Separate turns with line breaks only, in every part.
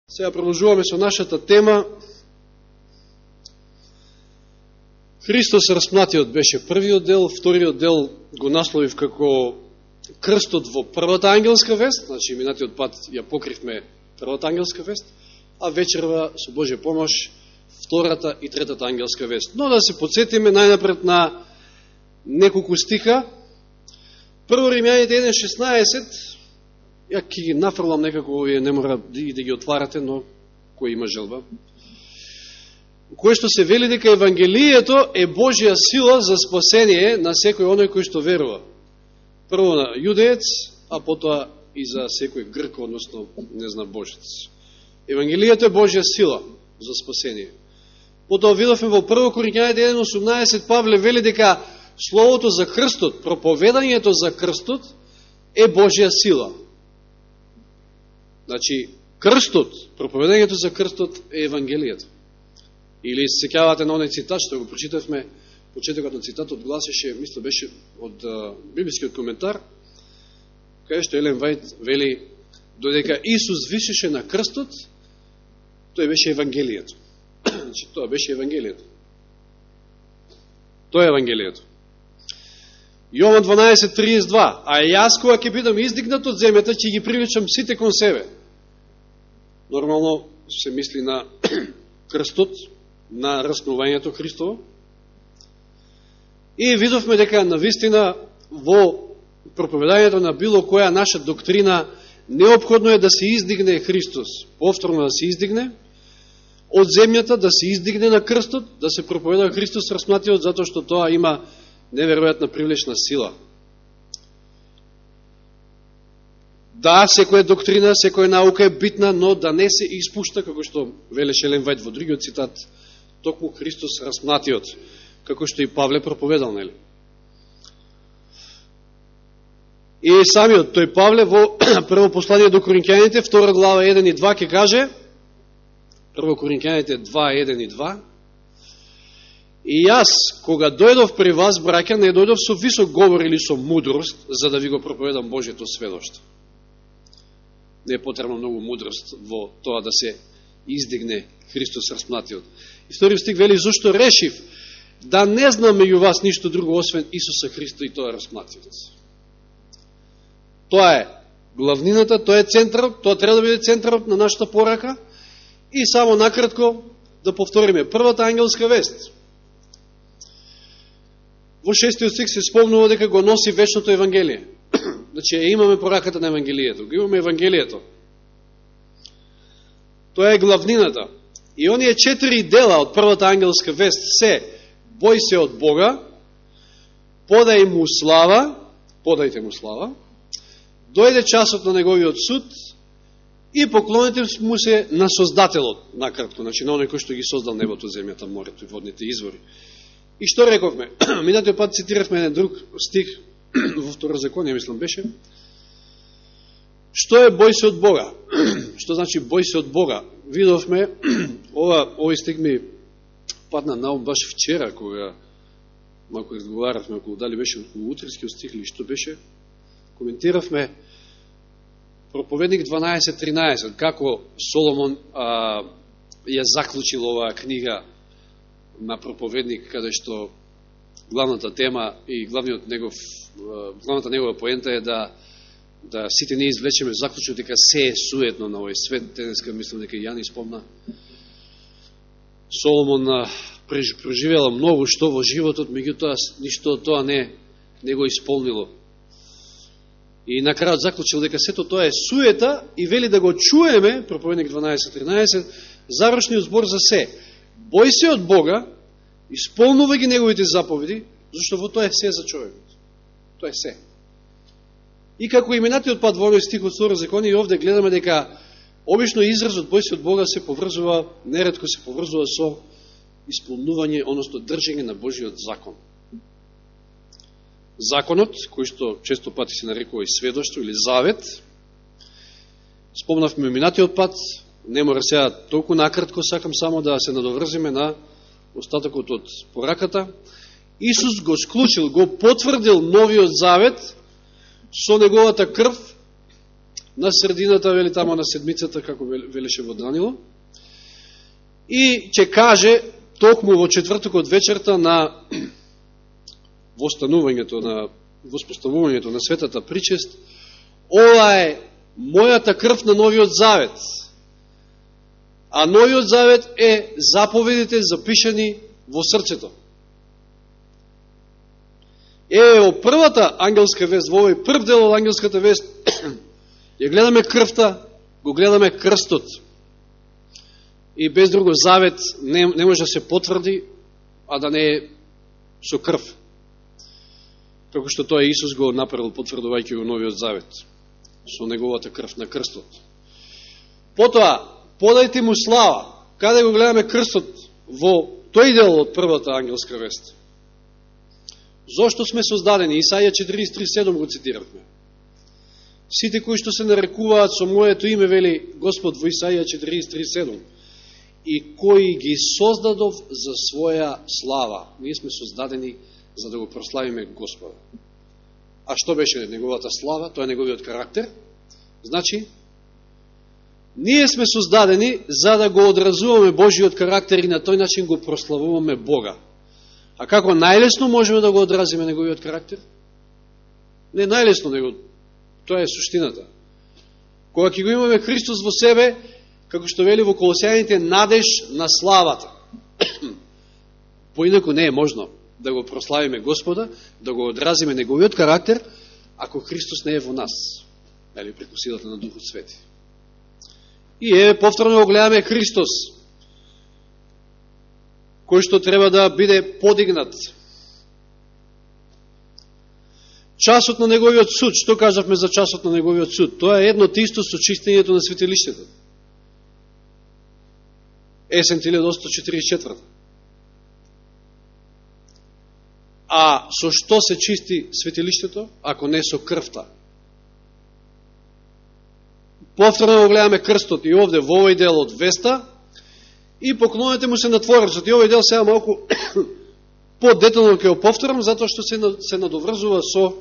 Сега продолжуваме со нашата тема. Христос распнатиот беше првиот дел, вториот дел го насловив како крстот во првата ангелска вест, значи минатиот пат ја покривме првата ангелска вест, а вечерва со Божја помош втората и третата ангелска вест. Но да се подсетиме најнапред на неколку стиха. Прво Римјаните 1:16, ја ќе ги нафрлам некако, овие не мора и да ги отварате, но кој има желба. Кој што се вели дека Евангелието е Божја сила за спасение на секој оној кој што верува. Прво на јудеец, а потоа и за секој грк, односно незнабожец. Евангелието е Божја сила за спасение. Потоа видовме во 1 Коринјаните 1:18, Павле вели дека словото за крстот, проповедањето за крстот е Божја сила. Значи, крстот, проповедањето за крстот е Евангелието. Или се сеќавате на оној цитат што го прочитавме, почетокот на цитатот гласеше, мисля беше од библискиот коментар, каде што Елен Вајт вели, додека Исус висеше на крстот, тој беше Евангелието. Значи, тоа беше Евангелието. Тоа е Евангелието. Јован 12:32, а јас кога ќе бидам издигнат од земјата, ќе ги привлечам сите кон себе. Нормално се мисли на крстот, на распнувањето Христово. И видовме дека навистина во проповедањето на било која наша доктрина неопходно е да се издигне Христос, повторно да се издигне од земјата, да се издигне на крстот, да се проповеда Христос распнатиот, затоа што тоа има неверојатна привлечна сила. Да, секоја доктрина, секоја наука е битна, но да не се испушта, како што велеше Елен Вајт во другиот цитат, токму Христос распнатиот, како што и Павле проповедал, нели? И самиот тој Павле во прво послание до Коринќаните, 2 глава 1 и 2 ќе каже, 1 Коринќаните 2, 1 и 2, и јас, кога дојдов при вас, браќа, не дојдов со висок говор или со мудрост, за да ви го проповедам Божјето сведоштво. Не е потребно многу мудрост во тоа да се издигне Христос распнатиот. И втори стих вели, зашто решив да не знам меѓу вас ништо друго, освен Исуса Христа и тоа распнатиот. Тоа е главнината, тоа е центарот, тоа треба да биде центарот на нашата порака. И само накратко да повториме првата ангелска вест. Во 6 стих се спомнува дека го носи вечното Евангелие. Значи, имаме пораката на Евангелието, го имаме Евангелието. Тоа е главнината. И оние 4 дела од првата ангелска вест се: бој се од Бога, подај му слава, подайте му слава, дојде часот на неговиот суд и поклоните му се на Создателот, накратко, значи на оној кој што ги создал небото, земјата, морето и водните извори. И што рековме? Минатиот пат цитиравме еден друг стих во Второзаконие, мислам беше. Што е бој се од Бога? Што значи бој се од Бога? Видовме, овој стих ми падна на ум баш вчера, кога малко разговаравме околу дали беше околу утринскиот стих или што беше, коментиравме Проповедник 12:13, како Соломон ја заклучил оваа книга на Проповедник, каде што главната тема и главната негова поента е да сите ние извлечеме заклучок дека се е суетно на овој свет. Денеска мислам дека Јани спомна. Соломон преживела многу што во животот, меѓутоа ништо од тоа не го исполнило. И на крајот заклучил дека сето тоа е суета и вели да го чуеме, Проповедник 12:13, завршниот збор за се. Бој се од Бога, исполнувај ги неговите заповеди, зашто во тоа е се за човекот. Тоа е се. И како и минатиот пат во овој стих од Второзаконие, и овде гледаме дека обично изразот бој се од Бога се поврзува, неретко се поврзува со исполнување, односно држење на Божиот закон. Законот, кој што често пати се нарекува и сведоштво или завет, спомнавме минатиот пат, не мора сега толку накратко, сакам само да се надоврзиме на остатокот од пораката. Исус го склучил, го потврдил новиот завет со неговата крв, на средината, вели тамо на седмицата, како велеше во Данило, и ќе каже токму во четвртокот вечерта на воспоставувањето на светата причест, ова е мојата крв на новиот завет. А новиот завет е заповедите запишани во срцето. Во првата ангелска вест, во овој прв дел од ангелската вест, ја гледаме крвта, го гледаме крстот. И без друго завет не може да се потврди, а да не е со крв. Како што тоа Исус го направил, потврдувајќи го новиот завет, со неговата крв на крстот. Потоа, подајте му слава. Каде го гледаме крстот? Во тој дел од првата ангелска вест. Зошто сме создадени? Исаија 43:7 го цитиравме. Сите кои што се нарекуваат со моето име, вели Господ во Исаија 43:7, и кои ги создадов за своја слава. Ние сме создадени за да го прославиме Господа. А што беше неговата слава? Тоа е неговиот карактер. Значи, ние сме создадени за да го одразуваме Божиот карактер и на тој начин го прославуваме Бога. А како најлесно можеме да го одразиме неговиот карактер? Не најлесно, него тоа е суштината. Кога ќе го имаме Христос во себе, како што вели во Колосјаните, надеж на славата. Поинаку не е можно да го прославиме Господа, да го одразиме неговиот карактер, ако Христос не е во нас, или преку силата на Духот Свети. И повторно го гледаме Христос, кој што треба да биде подигнат. Часот на неговиот суд, што кажавме за часот на неговиот суд? Тоа е едно тисто со чистењето на светилиштето. Есен 1844. А со што се чисти светилиштето, ако не со крвта? Повторно го гледаме крстот и овде во овој дел од веста и поклонете му се на Творецот. И овој дел сега малку по-детално ќе го повторам, затоа што се надоврзува со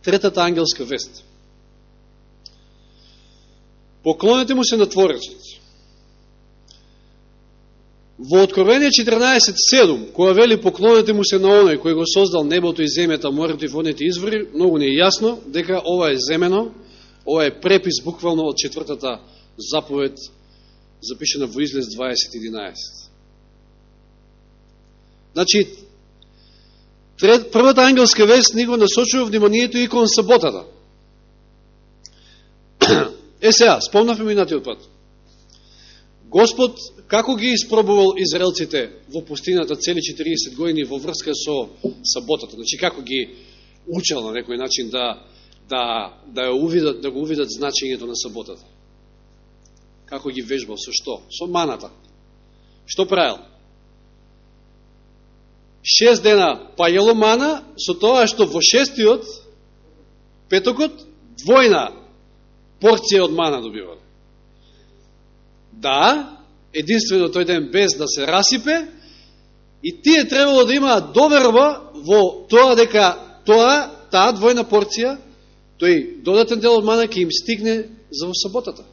третата ангелска вест. Поклонете му се на Творецот. Во Откровение 14:7, која вели поклонете му се на оној кој го создал небото и земјата, морето и водните извори, многу не е јасно дека ова е земено, ова е препис буквално од четвртата заповед, запишена во Излез 20:11. Значи, првата ангелска вест ни го насочува вниманието и кон саботата. Сега, спомнавме минатиот пат. Господ, како ги испробувал израелците во пустината цели 40 години во врска со саботата? Значи, како ги учел на некој начин да го увидат значењето на саботата? Како ги вежбал? Со што? Со маната. Што правил? 6 дена пајало мана, со тоа што во 6-тиот, петокот, двојна порција од мана добивал. Да, единствено тој ден без да се расипе, и тие требало да имаат доверба во тоа дека таа двојна порција, тој додатен дел од мана ќе им стигне за во саботата.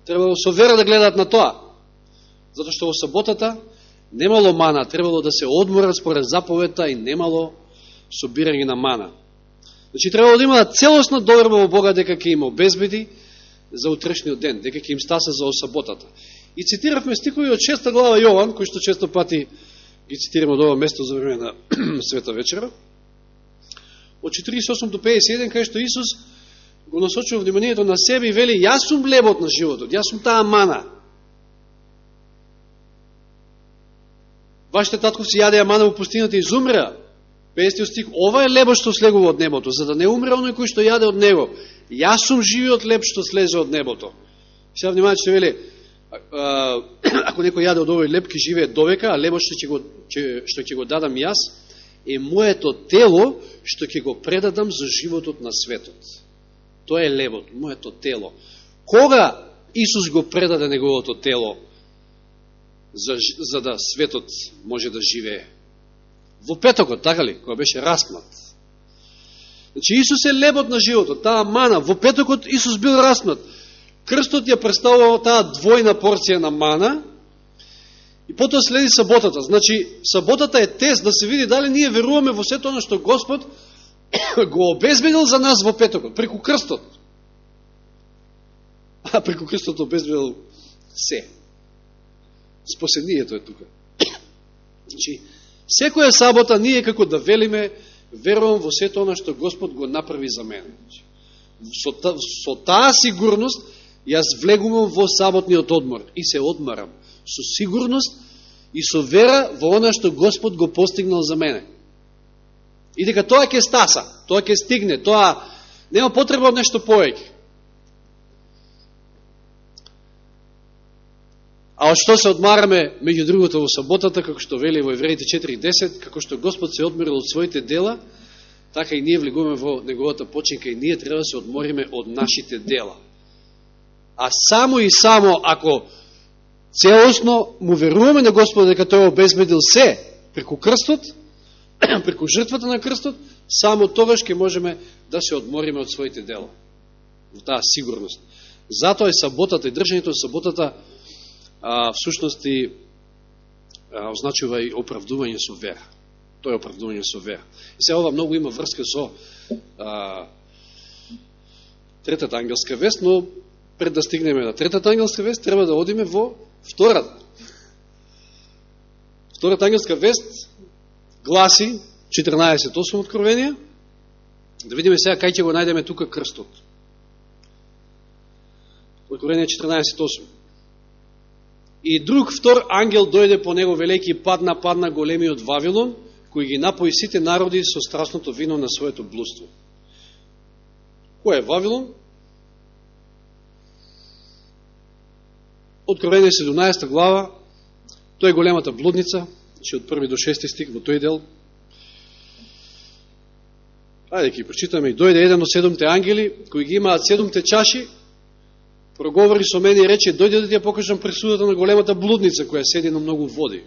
Требало со вера да гледаат на тоа, затоа што во саботата немало мана, требало да се одморат според заповедта и немало собирање на мана. Значи, требало да имаат целосна доверба во Бога дека ќе им обезбеди за утрешниот ден, дека ќе им стаса за саботата. И цитиравме стихови од 6 глава Јован, кои што често пати ги цитираме од ова место за време на Света вечера, од 48 до 51, кај што Исус го насочува вниманието на себе и вели: јас сум лебот на животот, јас сум таа мана. Вашите татковци јадеа мана во пустината и изумреа. 50 стих, ова е лебот што слегува од небото, за да не умре оној кој што јаде од него. Јас сум живиот леб што слезе од небото. Сега внимавајте што вели, ако некој јаде од овој леб, ќе живее довека, а лебот што ќе го дадам јас е моето тело што ќе го предадам за животот на светот. Тоа е лебот, моето тело. Кога Исус го предаде неговото тело за да светот може да живее? Во петокот, така ли? Кога беше распнат. Значи, Исус е лебот на животот, таа мана. Во петокот Исус бил распнат. Крстот ја представувал таа двојна порција на мана и потоа следи саботата. Значи, саботата е тест да се види дали ние веруваме во сето оно што Господ го обезбедил за нас во петокот, преку крстот. А преку крстот обезбедил се. Спасението е тука. Значи, секоја сабота ние како да велиме, верувам во сето оно што Господ го направи за мене. Со таа сигурност јас влегувам во саботниот одмор и се одмарам. Со сигурност и со вера во она што Господ го постигнал за мене. И дека тоа ќе стаса, тоа ќе стигне, тоа нема потреба од нешто повеќе. А од што се одмараме, меѓу другото, во саботата, како што вели во Евреите 4:10, како што Господ се одморил од своите дела, така и ние влегуваме во неговата починка и ние треба да се одмориме од нашите дела. А само и само ако целосно му веруваме на Господа дека тој обезбедил се преку крстот, преку жртвата на крстот, само тогаш ќе можеме да се одмориме од своите дела. Во таа сигурност. Затоа е саботата и држањето на саботата всушност и означува и оправдување со вера. Тоа е оправдување со вера. И сега ова многу има врска со третата ангелска вест, но пред да стигнеме на третата ангелска вест, треба да одиме во втората. Втората ангелска вест гласи 14:8 Откровение. Да видиме сега кај ќе го најдеме тука крстот. Откровение 14:8. И друг втор ангел дојде по него велики падна големиот Вавилон, кој ги напои сите народи со страстното вино на своето блудство. Кој е Вавилон? Откровение 17 глава, тој е големата блудница, че од 1 до 6 стих во тој дел. Ајде ќе прочитаме. И дојде еден од 7 ангели, кои ги имаат 7 чаши, проговори со мене и рече: дојде да ти ја покажам пресудата на големата блудница, која седи на многу води,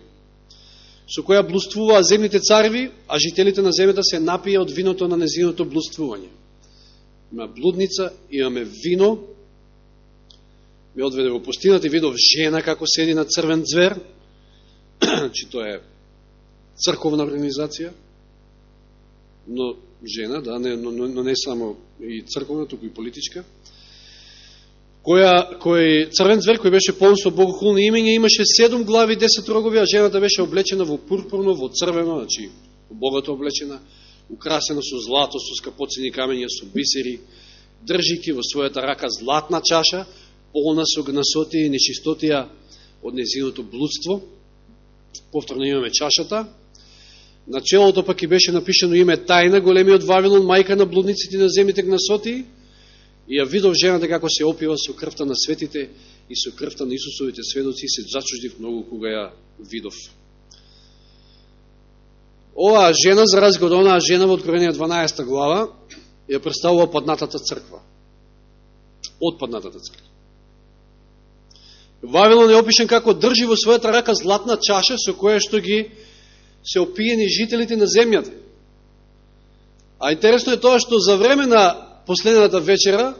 со која блудствуваа земните цареви, а жителите на земјата се напија од виното на незиното блудствување. Има блудница, имаме вино, ме одведе во пустината и видов жена како седи на црвен звер, че тоа е црковна организација, но жена, да, но не само и црковна, туку и политичка, кој црвен звер кој беше полн со богохулни имења, имаше 7 глави, 10 рогови, а жената беше облечена во пурпурно, во црвено, значи богато облечена, украсена со злато, со скапоцени камења, со бисери, држики во својата рака златна чаша, полна со гнасотија и нечистотија од незиното блудство. Повторно имаме чашата. На челото пак и беше напишено име Тајна, големиот Вавилон, мајка на блудниците на земните гнасотии. И ја видов жената како се опива со крвта на светите и со крвта на Исусовите сведоци, и се зачуждив многу кога ја видов. Оваа жена, за разлика од онаа жена во Откровение 12 глава, ја представува паднатата црква. Од паднатата црква. Вавилон е опишен како држи во својата рака златна чаша со која што ги се опиени жителите на земјата. А интересно е тоа што за време на последната вечера,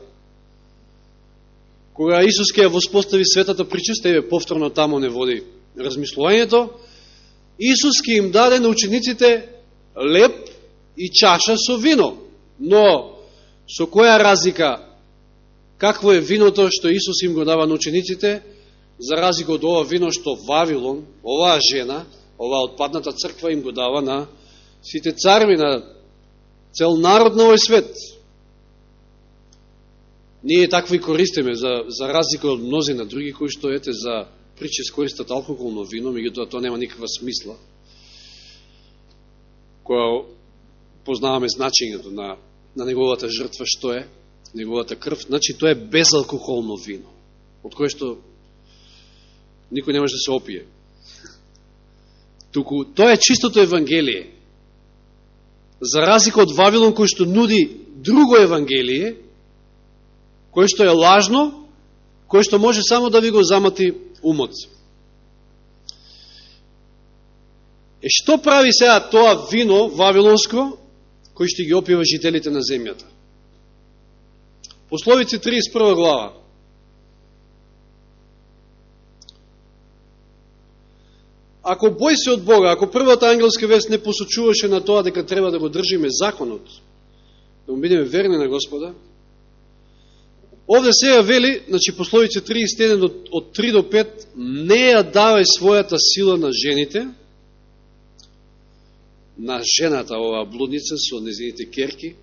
кога Исус ќе ја воспостави светата причеста, еве повторно тамо не води размислувањето, Исус ќе им даде на учениците леп и чаша со вино. Но со која разлика? Какво е виното што Исус им го дава на учениците, за разлика од ова вино што Вавилон, оваа жена, оваа отпадната црква им го дава на сите цареви, на цел народ на овој свет. Ние такво и користиме, за разлика од мнози на други, кои што ете за причес користат алкохолно вино, меѓутоа тоа нема никаква смисла. Која познаваме значењето на неговата жртва, што е неговата крв, значи тоа е безалкохолно вино, од кое што никој не може да се опие. Туку тоа е чистото Евангелие. За разлика од Вавилон, кој што нуди друго Евангелие, кој што е лажно, кој што може само да ви го замати умот. Што прави сега тоа вино вавилонско, кој што ги опива жителите на земјата. Пословици 31 глава. Ако бој се од Бога, ако првата ангелска вест не посочуваше на тоа дека треба да го држиме законот, да му бидеме верни на Господа, овде сега вели, значи пословица 31 од 3 до 5, не ја давај својата сила на жените, на жената, оваа блудница со незините керки,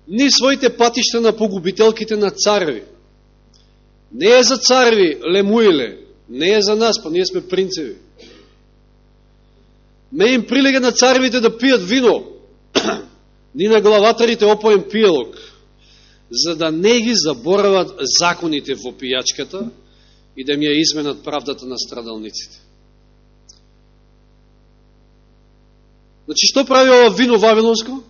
ни своите патишта на погубителките на цареви. Не е за цареви, лемуиле, не е за нас, па ние сме принцеви. Не им прилега на царевите да пијат вино, ни на главатарите опоен пијалок, за да не ги заборават законите во пијачката и да ми ја изменат правдата на страдалниците. Значи, што прави ова вино вавилонско?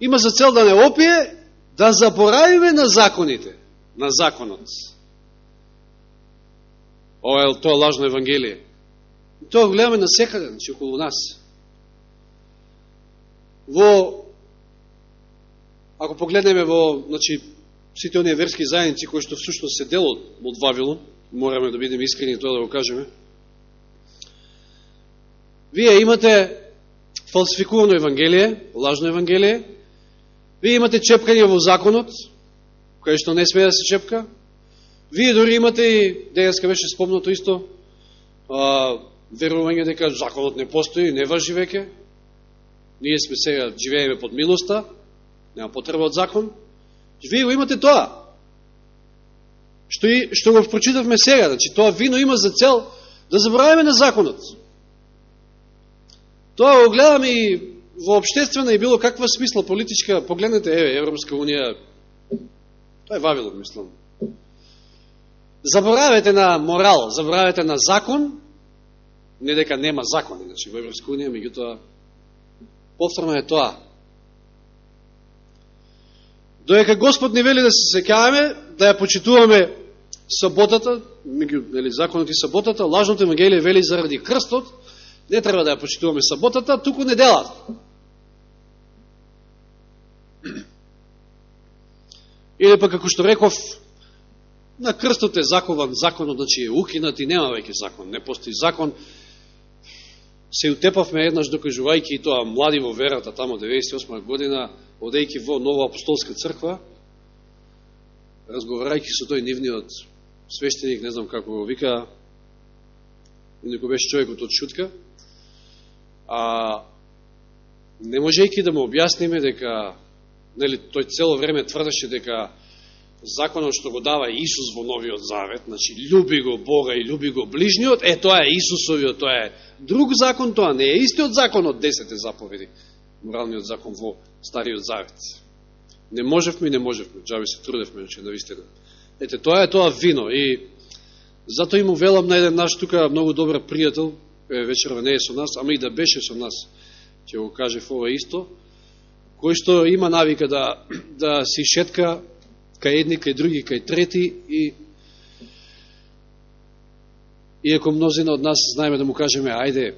Има за цел да не опие, да заборавиме на законите, на законот. Ова е тоа лажно евангелие. Тоа го гледаме насекаде, значи околу нас. Ако погледнеме во, значи, сите оние верски заедници кои што всушност се дел од Вавилон, мораме да бидеме искрени тоа да го кажеме, вие имате фалсификувано евангелие, лажно евангелие, вие имате чепкање во законот, кај што не смее да се чепка, вие дори имате и, денеска беше спомнато исто, верување дека законот не постои, не важи веќе, ние сме сега, живееме под милоста, нема потреба од закон, вие го имате тоа. Што го прочитавме сега, значи тоа вино има за цел да забораваме на законот. Тоа го гледаме и во обштествена и било каква смисла политичка, погледнете, Европска унија, тоа е Вавилон, мислам. Заборавете на морал, заборавете на закон, не дека нема закон, значи во Европска унија, меѓутоа, повторно е тоа. Доека Господ ни вели да се сеќаваме, да ја почитуваме саботата, меѓу законот и саботата, лажното евангелие вели заради крстот, не треба да ја почитуваме саботата, туку неделата. Или пак, како што реков, на крстот е закован законот, значи е укинат и нема веќе закон, не постои закон. Се утепавме еднаш докажувајќи и тоа млади во верата, тамо 98 година, одејќи во Нова апостолска црква, разговарајќи со тој нивниот свештеник, не знам како го вика, некој беше човекот од Шутка, не можејќи да му објасниме дека, нели, тој цело време тврдеше дека законот што го дава Исус во Новиот Завет, значи љуби го Бога и љуби го ближниот, тоа е Исусовиот, тоа е друг закон, тоа не е истиот закон од 10 заповеди, моралниот закон во Стариот Завет. Не можевме, джаби се трудевме, значи, навистина. Ете, тоа е тоа вино и затоа му велам на еден наш тука многу добар пријател, вечерва не е со нас, ама и да беше со нас, ќе го кажев ова исто, кој што има навика да си шетка кај едни, кај други, кај трети и иако мнозина од нас знаеме да му кажеме ајде,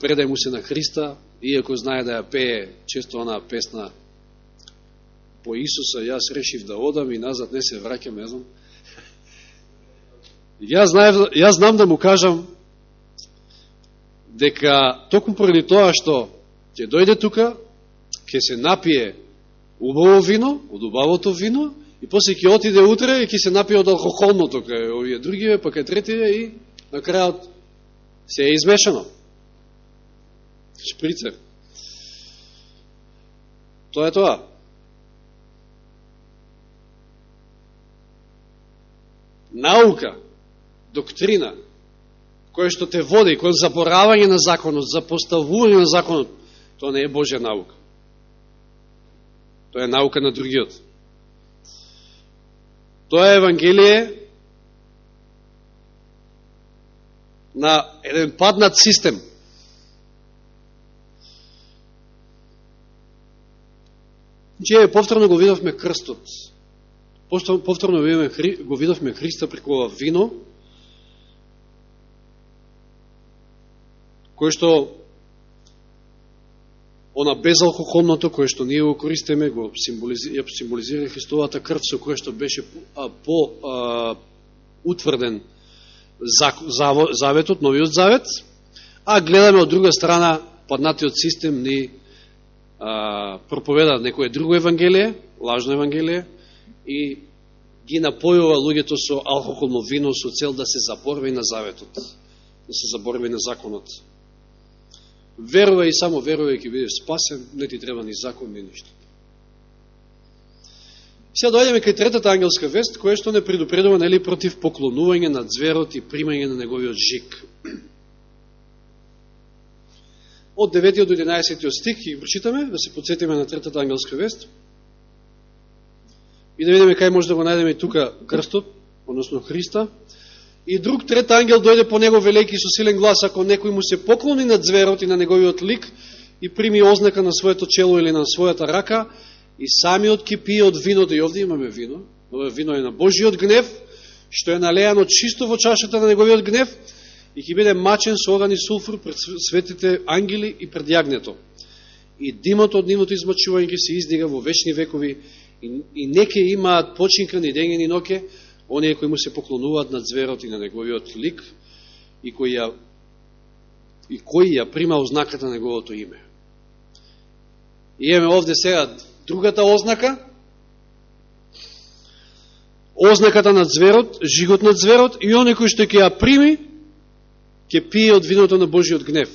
предај му се на Христа, иако знае да ја пее често онаа песна по Исуса, јас решив да одам и назад не се враќам, не знам. Јас знам да му кажам дека токму поради тоа што ќе дојде тука, ќе се напие убаво вино, од убавото вино, и после ќе отиде утре и ќе се напие од алкохолното кај овие другиве, па кај третиве и на крајот се е измешано. Шприцер. Тоа е тоа. Наука, доктрина, која што те води кон заборавање на законот, за поставување на законот, тоа не е Божја наука. Тоа е наука на другиот. Тоа е евангелие на еден паднат систем. Че повторно го видовме крстот. Повторно го видовме Христа преку ова вино, кој што она безалкохолното кое што ние го користиме, го символизира Христовата крв, со кое што беше утврден заветот, новиот завет, а гледаме од друга страна, паднатиот систем ни проповеда некое друго евангелие, лажно евангелие, и ги напојува луѓето со алкохолно вино со цел да се заборави на заветот, да се заборави на законот. Верувај и само верувај ќе бидеш спасен, не ти треба ни закон, ни ништо. Сега дојдеме кај третата ангелска вест, која што не предупредува нели против поклонување на ѕверот и примање на неговиот жик. Од 9 до 11 стих ќе прочитаме, да се подсетиме на третата ангелска вест и да видиме кај може да го најдеме тука крстот, односно Христа. И друг трет ангел дојде по него велики со силен глас, ако некој му се поклони на ѕверот и на неговиот лик и прими ознака на своето чело или на својата рака, и самиот ќе пие од виното, и овде имаме вино, ова вино е на Божиот гнев, што е налеано чисто во чашата на неговиот гнев, и ќе биде мачен со оган и сулфур пред светите ангели и пред јагнето. И димот од нивното измачување ќе се издига во вечни векови, и не ќе имаат починка ни дење ни ноќе, оние кои му се поклонуваат на ձверот и на неговиот лик, и кои ја прима ознаката на неговото име. И имаме овде сега другата ознака, ознаката на ձверот, жигот на ձверот, и оној кој што ќе ја прими, ќе пие од виното на Божиот гнев.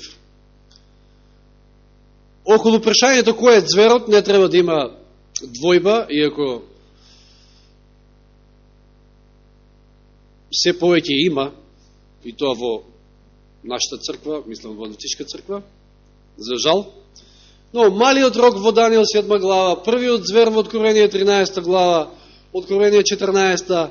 Околу прашањето кој е ձверот, не треба да има двојба, иако се повеќе има, и тоа во нашата црква, мислам во Адвентичка црква, за жал. Но малиот рог во Данијел 7 глава, првиот звер во Откровение 13 глава, Откровение 14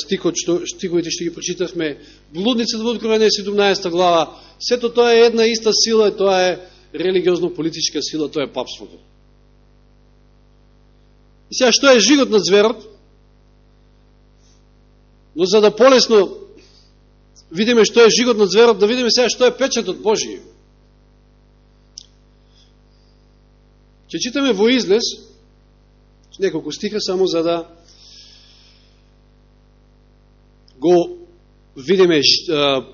стиховите што ги прочитавме, блудницата во Откровение 17 глава, сето тоа е една иста сила, и тоа е религиозно-политичка сила, тоа е папството. И сега, што е жигот на ձверот? Но за да полесно видиме што е жигот на ձверот, да видиме сега што е печатот Божиј. Ќе читаме во Излез, неколку стиха само за да го видиме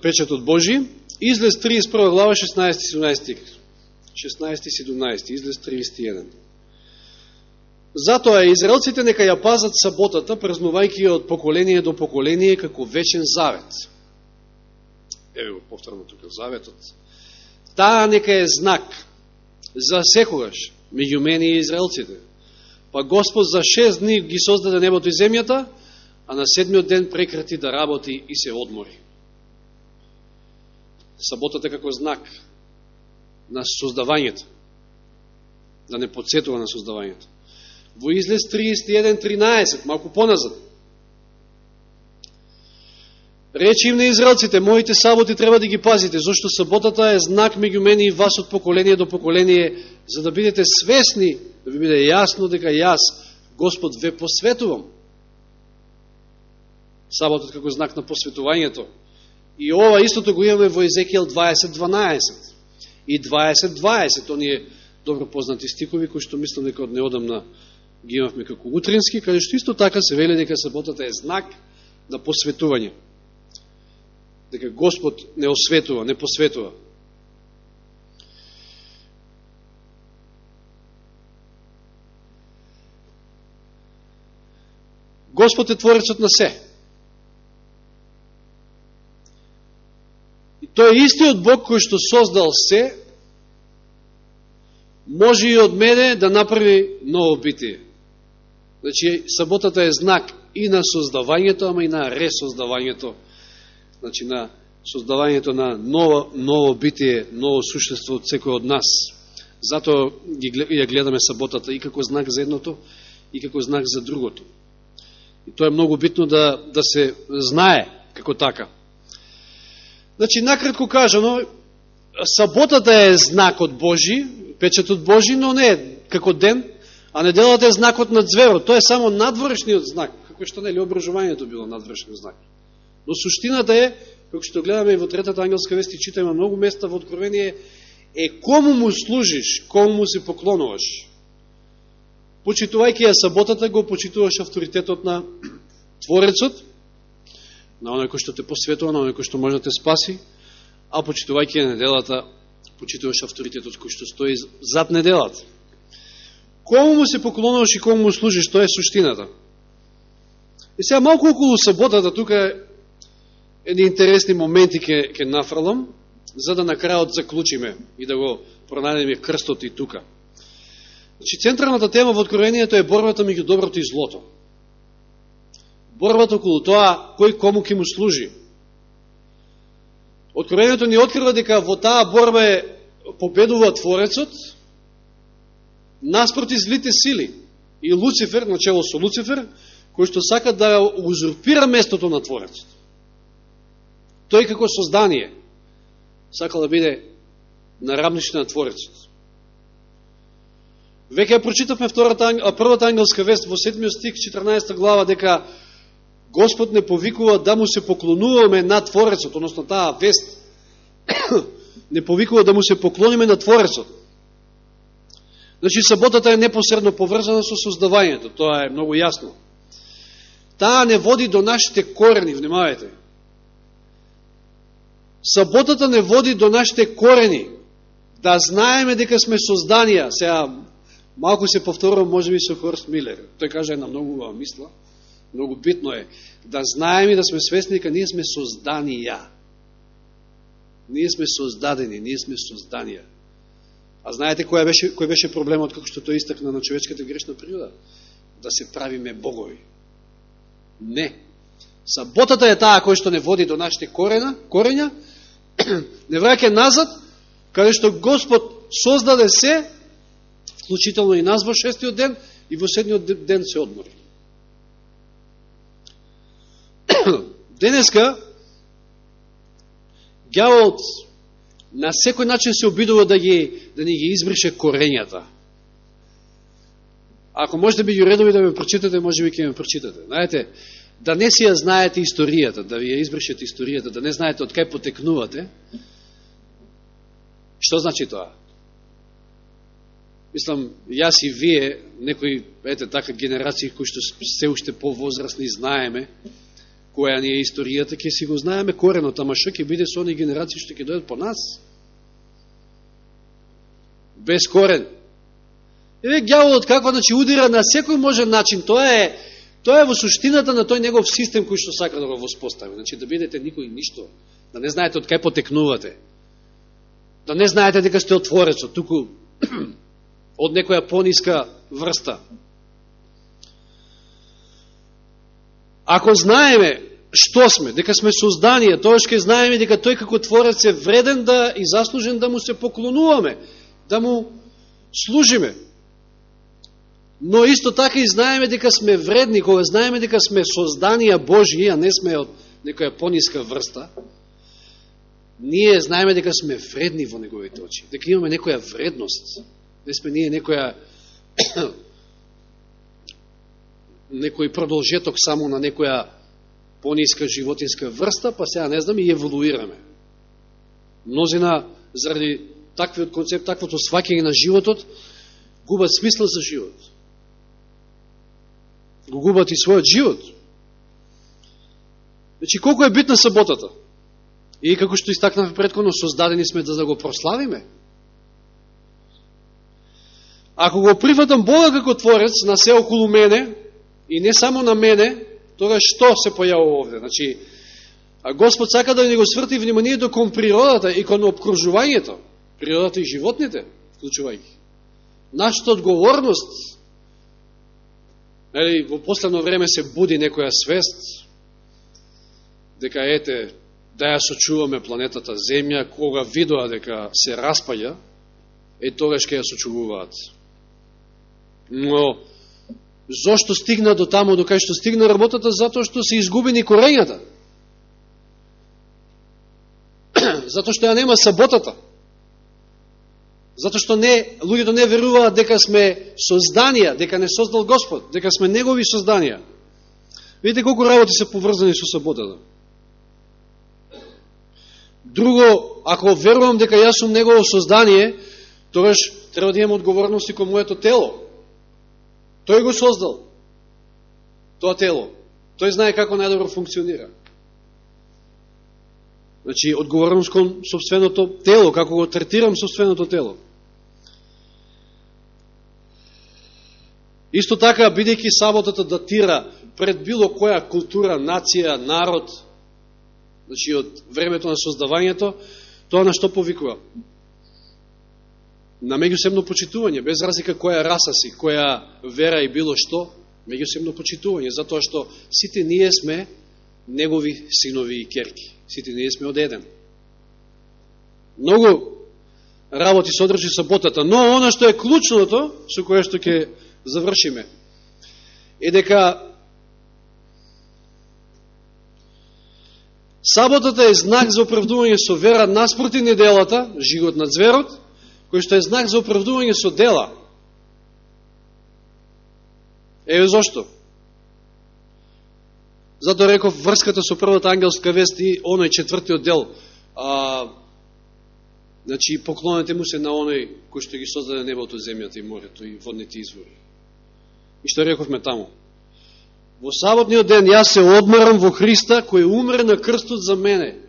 печатот Божиј. Излез 31 глава, 16-17 стих. 16-17, Излез 31. Затоа израелците нека ја пазат саботата, празнувајќи ја од поколение до поколение како вечен завет. Еве го повторно тука заветот. Таа нека е знак за секогаш меѓу мене и израелците. Па Господ за 6 дни ги создаде небото и земјата, а на 7-миот ден прекрати да работи и се одмори. Саботата како знак на создавањето, да не подсетува на создавањето. Во Излез 31.13, малку поназад. Речи им на израелците, моите саботи треба да ги пазите, зашто саботата е знак меѓу мене и вас од поколение до поколение, за да бидете свесни, да ви биде јасно дека јас, Господ, ве посветувам. Саботот како знак на посветувањето. И ова истото го имаме во Езекијел 20.12 и 20.20, оние добро познати стихови, кои што мислам дека од неодамна ги имавме како утрински, каде што исто така се вели дека саботата е знак на посветување. Дека Господ не осветува, не посветува. Господ е творецот на се. И тој е истиот Бог кој што создал се, може и од мене да направи ново битие. Значи, саботата е знак и на создавањето, ама и на ресоздавањето. Значи, на создавањето на ново битие, ново суштество од секој од нас. Затоа ја гледаме саботата и како знак за едното, и како знак за другото. И тоа е многу битно да се знае како така. Значи, накратко кажано, саботата е знакот Божи, печатот Божи, но не е како ден, а неделата е знакот на ձверот. Тоа е само надворешниот знак, како што нели обржувањето било надворешниот знак. Но суштината е, како што гледаме и во третата ангелска вест и читаме многу места во Откровение, кому му служиш, кому му се поклонуваш. Почитувајќи ја саботата, го почитуваш авторитетот на Творецот, на оној кој што те посветува, на оној кој што може да те спаси, а почитувајќи ја неделата, почитуваш авторитетот кој што стои зад неделата. Кому му се поклонуваш и кому му служиш, тоа е суштината. И сега малку околу саботата, тука едни интересни моменти ќе нафрлам, за да на крајот заклучиме и да го пронајдеме крстот и тука. Значи, централната тема во Откровението е борбата меѓу доброто и злото. Борбата околу тоа, кој кому ќе му служи. Откровението ни открива дека во таа борба победува Творецот наспроти злите сили. И Луцифер, начело со Луцифер, кој што сака да узурпира местото на Творецот. Тој како создание сакал да биде на рамниште на Творецот. Веќе ја прочитавме првата ангелска вест во 7 стих, 14 глава, дека Господ не повикува да му се поклонуваме на Творецот, односно таа вест не повикува да му се поклониме на Творецот. Значи, саботата е непосредно поврзана со создавањето, тоа е многу јасно. Таа не води до нашите корени, внимавајте. Саботата не води до нашите корени, да знаеме дека сме созданија. Сега, малку се повторувам, може би со Хорст Милер. Тој каже една многу убава мисла, многу битно е да знаеме и да сме свесни дека ние сме созданија. Ние сме создадени, ние сме созданија. А знаете кој беше проблемот, како што тој истакна на човечката грешна природа? Да се правиме богови. Не. Саботата е таа која што не води до нашите корења, не враќа назад, каде што Господ создаде се, вклучително и нас во 6-тиот ден, и во 7-тиот ден се одмори. Денеска, ѓаволот на секој начин се обидува да ни ги избрише корењата. Ако можете би ги редови да ме прочитате, може би ќе ме прочитате. Знаете, да не си ја знаете историјата, да ви ја избришете историјата, да не знаете од кај потекнувате, што значи тоа? Мислам, јас и вие, некои, така генерации кои што се уште повозрастни знаеме, која ни е историјата, ќе си го знаеме коренот, ама што ќе биде со они генерации што ќе дојдат по нас? Без корен. Еве ѓаволот каква, значи, удира на секој можен начин, тоа е во суштината на тој негов систем кој што сака да го воспостави. Значи, да бидете никој ништо, да не знаете од кај потекнувате, да не знаете дека сте од Творецот, туку од некоја пониска врста. Ако знаеме што сме, дека сме созданија, тоа ќе знаеме дека тој како Творец е вреден да и заслужен да му се поклонуваме, да му служиме. Но исто така и знаеме дека сме вредни, кога знаеме дека сме созданија Божји, а не сме од некоја пониска врста, ние знаеме дека сме вредни во неговите очи, дека имаме некоја вредност. Не сме ние некој продолжеток само на некоја пониска животинска врста, па сега не знам и еволуираме. Мнозина заради таквиот концепт, таквото сваќање на животот, губат смисла за живот. Го губат и својот живот. Значи, колко е битна саботата? И како што истакнавме претходно, создадени сме да го прославиме. Ако го прифатам Бога како Творец на се околу мене, и не само на мене, тогаш што се појавува овде? Значи, Господ сака да ни го сврти вниманието кон природата и кон обкружувањето, природата и животните, вклучувајќи. Нашата одговорност, во последно време се буди некоја свест, дека да ја сочуваме планетата Земја, кога видоа дека се распаѓа, тогаш ќе ја сочувуваат. Но, зошто стигна до таму, до кај што стигна работата? Затоа што се изгубени корењата. Затоа што ја нема саботата. Затоа што луѓето не веруваат дека сме созданија, дека не создал Господ, дека сме негови созданија. Видите колку работи се поврзани со саботата. Друго, ако верувам дека јас сум негово создание, тогаш треба да имам одговорности кон моето тело. Тој го создал, тоа тело. Тој знае како најдобро функционира. Значи, одговорност кон собственото тело, како го третирам собственото тело. Исто така, бидејќи саботата датира пред било која култура, нација, народ, значи од времето на создавањето, тоа на што повикува? На меѓусебно почитување, без разлика која раса си, која вера и било што, меѓусебно почитување, затоа што сите ние сме негови синови и керки. Сите ние сме од еден. Многу работи содржи саботата, но она што е клучното, со кое што ќе завршиме, е дека саботата е знак за оправдување со вера наспроти неделата, жигот на зверот, кој што е знак за оправдување со дела. Еве зошто. Зато реков врската со првата ангелска вест и оној четвртиот дел. Значи, поклонете му се на оној кој што ги создаде небото, земјата и морето и водните извори. И што рековме таму? Во саботниот ден јас се одмарам во Христа, кој умре на крстот за мене.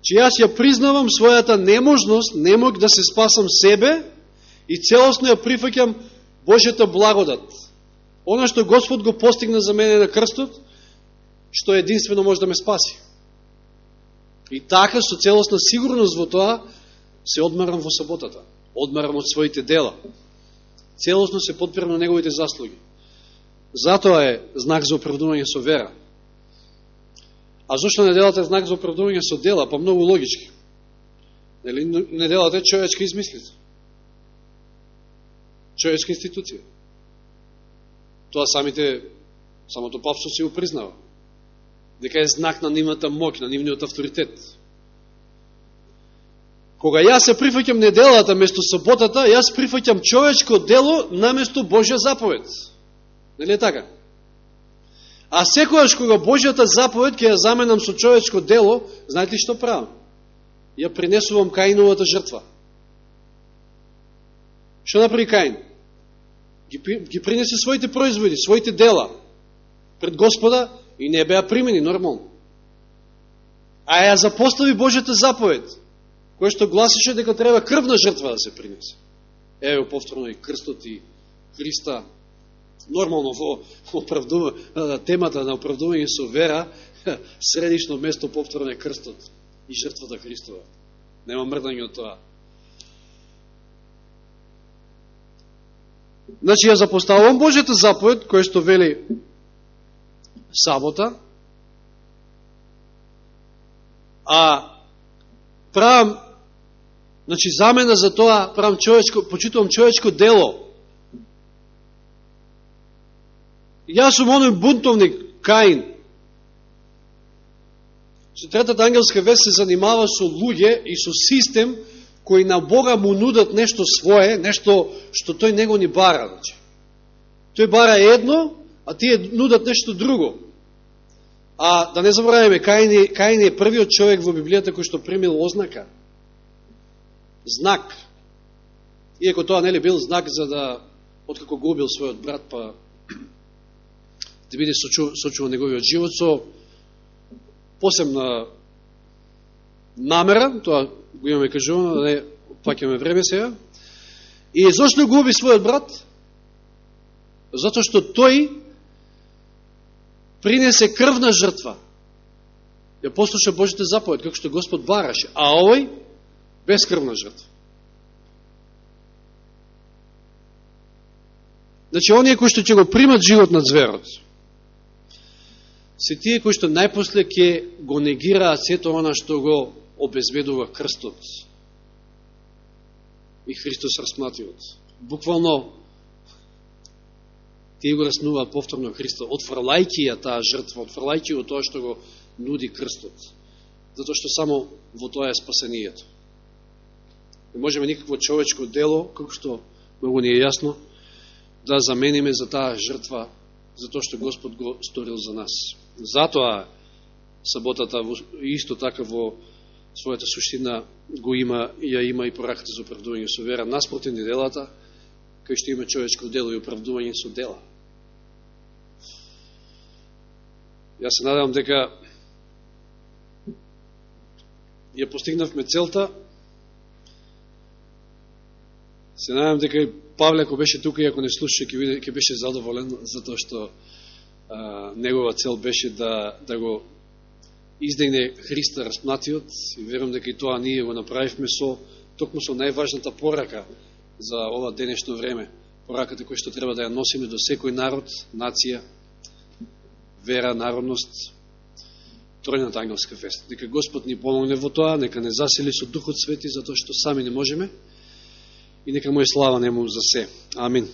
Че јас ја признавам својата неможност, не мог да се спасам себе и целосно ја прифаќам Божјата благодат. Она што Господ го постигна за мене на крстот, што единствено може да ме спаси. И така, со целосна сигурност во тоа, се одмарам во саботата. Одмарам од своите дела. Целосно се подпирам на неговите заслуги. Затоа е знак за оправдување со вера. А зашто неделата е знак за оправдување со дела? Па многу логички. Неделата е човечка измислица. Човечка институција. Тоа самото папство си го признава. Дека е знак на нивната моќ, на нивниот авторитет. Кога јас се прифаќам неделата место саботата, јас прифаќам човечко дело наместо Божја заповед. Нели е така? А секојаш кога Божјата заповед ќе ја заменам со човечко дело, знаете ли што правам? Ја принесувам Каиновата жртва. Што направи Каин? Ги принесе своите производи, своите дела пред Господа и не беа примени нормално. А ја запостави Божјата заповед, која што гласише дека треба крвна жртва да се принесе. Ево повторно и крстот и Христа. Нормално во темата на оправдување со вера, средишно место повторно е крстот и жртвата Христова. Нема мрдање од тоа. Значи, ја запоставувам Божјата заповед, која што вели сабота, а правам, значи, замена за тоа, почитувам човечко дело. Јас сум оној бунтовник, Каин. Третата ангелска вест се занимава со луѓе и со систем кои на Бога му нудат нешто свое, нешто што тој него ни бара. Значи. Тој бара едно, а тие нудат нешто друго. А да не забравяме, Каин е првиот човек во Библијата кој што примил ознака. Знак. Иако тоа нели бил знак за да, откако го убил својот брат, па да биде сочуван неговиот живот со посебна намера, тоа го имаме кажувано, да не пакаме време сега. И зашто го уби својот брат? Затоа што тој принесе крвна жртва. Ја послуша Божјата заповед, како што Господ бараше, а овој без крвна жртва. Значи, оние кои што ќе го примат живот на зверот, се тие кои што најпосле ќе го негираат сето она што го обезбедува крстот и Христос распнатиот. Буквално тие го раснуваат повторно Христа, отфрлајќи ја таа жртва, отфрлајќи ја тоа што го нуди крстот. Затоа што само во тоа е спасението. Не можеме никакво човечко дело, како што многу ни е јасно, да замениме за таа жртва, за тоа што Господ го сторил за нас. Затоа саботата исто така во својата суштина го има, ја има и пораката за оправдување со вера, наспротив ни делата, кај што има човечко дело и оправдување со дела. Јас се надевам дека ја постигнавме целта. Се надевам дека и Павле, ако беше тука и ако не слуша, ќе беше задоволен, затоа што негова цел беше да го издигне Христа распнатиот, и верувам дека и тоа ние го направивме токму со најважната порака за ова денешно време. Пораката која што треба да ја носиме до секој народ, нација, вера, народност, тројната ангелска вест. Нека Господ ни помогне во тоа, нека не засили со Духот Свети, затоа што сами не можеме, и нека му е слава нему за се. Амин.